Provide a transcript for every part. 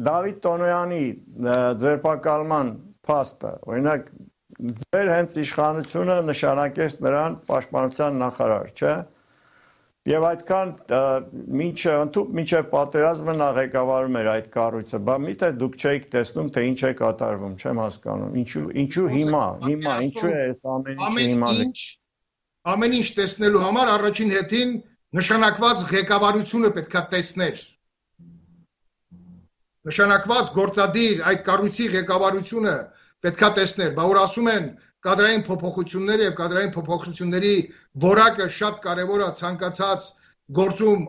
Դավիթ Տոնոյանի ձերբակալման փաստը, օրինակ ձեր հենց իշխանությունը նշանակեց նրան պաշտպանության նախարար, չէ՞։ Եվ այդքան մինչև պատերազմը նա ղեկավարում էր այդ կառույցը, բա միթե դուք չէիք տեսնում, թե ինչ է կատարվում, չեմ հասկանում, ինչու հիմա, ինչու է այս ամեն ինչը հիմա։ Ամեն ինչ տեսնելու համար առաջին հերթին նշանակված ղեկավարությունը պետքա տեսներ։ Նշանակված գործադիր այդ կառույցի ղեկավարությունը պետքա տեսներ, բա որ ասում են կադրային փոփոխությունները եւ կադրային փոփոխությունների որակը շատ կարեւոր է ցանկացած գործում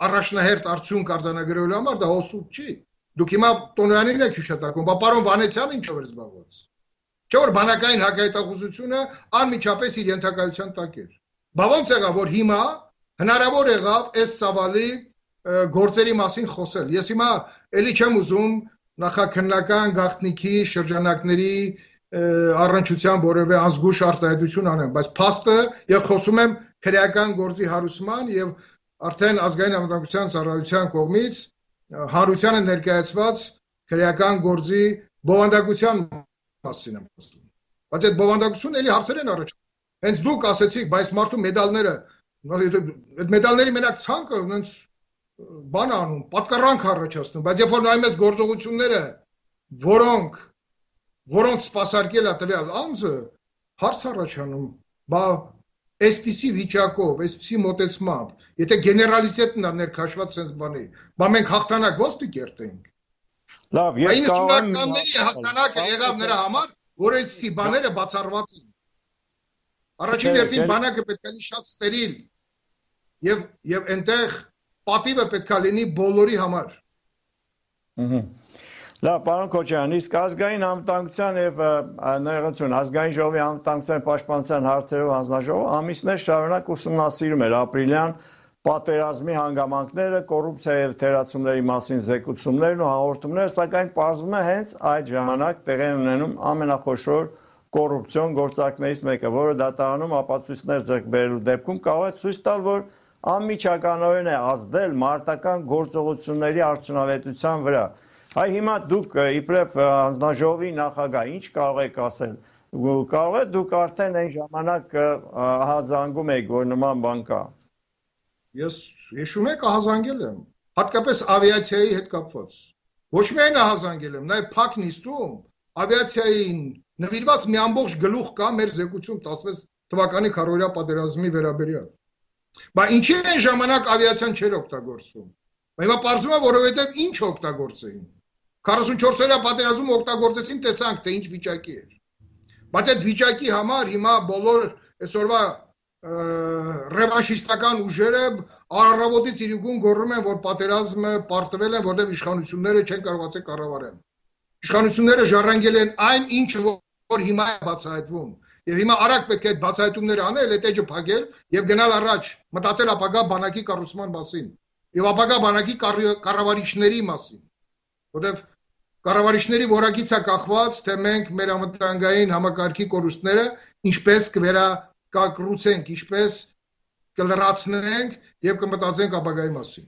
առաջնահերթ արդյունք արձանագրելու համար, դա հոսուտ չի։ Դուք հիմա Տոնոյանին եք հիշատակում, բա պարոն Վանեցյանը ինչով էր զբաղված։ Չէ՞ որ բանակային հակահետախուզությունը անմիջապես իր ենթակայության տակ էր։ Բա ո՞նց եղավ, որ հիմա հնարավոր եղավ այս ծավալի գործերի մասին խոսել։ Ես հիմա էլի չեմ ուզում նախաքննական գաղտնիքի շրջանակների առնչության որևէ ազգուշ արտահայտություն անեմ, բայց փաստը եւ խոսում եմ քրեական գործի հարուցման եւ արդեն ազգային անվտանգության ծառայության կողմից հանրությանը ներկայացված քրեական գործի բովանդակության մասին եմ խոսում։ Բայց այդ բովանդակությունը էլի հարցեր են առաջ։ Հենց դուք ասեցիք, բայց մարդու մեդալները, այդ մեդալների մենակ ցանկը ոնց բան անում, պատկառանք առաջացնում, բայց երբ որ նայում ես գործողությունները, որոնց սպասարկել է տվյալ անձը, հարց առաջանում, բա այսպիսի վիճակով, այսպիսի մոտեցմամբ, եթե գեներալիտետն է ներքաշված sense բանի, բա մենք հաղթանակ ո՞նց կերտենք։ Լավ, ես կարող եմ 90-ականների հաղթանակը եղավ նրա համար, որ այսպիսի բաները բացառված են։ Առաջին հերթին բանակը պետք է լինի շատ ստերիլ եւ այնտեղ պատիվը պետք է լինի բոլորի համար։ Լավ, պարոն Քոչարյան, իսկ ազգային անվտանգության եւ ներողություն, ազգային ժողովի անվտանգության պաշտպանության հարցերով հանձնաժողովը ամիսներ շարունակ ուսումնասիրում էր ապրիլյան պատերազմի հանգամանքները, կոռուպցիա եւ թերացումների մասին զեկուցումներն ու հաղորդումները, սակայն պարզվում է հենց այդ ժամանակ տեղի ունենում ամենախոշոր կոռուպցիոն գործարքներից մեկը, որը դատարանում ապացույցներ ձեռք բերելու դեպքում կարող է ցույց տալ, որ անմիջականորեն է ազդել մարտական գործողությունների արդյունավետության վրա։ Այ հիմա դուք իբրև հանձնաժողովի նախագահ ինչ կարող եք ասել։ Կարող է դուք արդեն այն ժամանակ ահազանգում եք, որ նման բան կա։ Ես հիշում եք ահազանգել եմ, հատկապես ավիացիայի հետ կապված։ Ոչ միայն ահազանգել եմ, նաև փակ նիստում ավիացիային նվիրված մի ամբողջ գլուխ կա մեր զեկույցում 16 թվականի քառօրյա պատերազմի վերաբերյալ։ Բա ինչի այն ժամանակ ավիացիան չէր օգտագործվում։ Հիմա պարզվում է, որովհետև ինչ օգտագործեին։ 44-օրյա պատերազմում օգտագործեցին, տեսանք, թե ինչ վիճակի էր։ Բայց այդ վիճակի համար հիմա բոլոր այսօրվա ռևանշիստական ուժերը առավոտից իրիկուն գոռում են, որ պատերազմը պարտվել են, որտեղ իշխանությունները չեն կարողացել կառավարել։ Իշխանությունները ժառանգել են այն, ինչը որ հիմա է բացահայտվում։ Եվ հիմա արագ պետք է այդ բացահայտումները անել, այդ էջը փակել եւ գնալ առաջ, մտածել ապագա բանակի կառուցման մասին եւ ապագա բանակի կառավարիչների մասին։ Որտեւ կառավարիչների որակից է կախված, թե մենք մեր անվտանգային համակարգի կորուստները ինչպես կվերակառուցենք, ինչպես կլրացնենք եւ կմտածենք ապագայի մասին։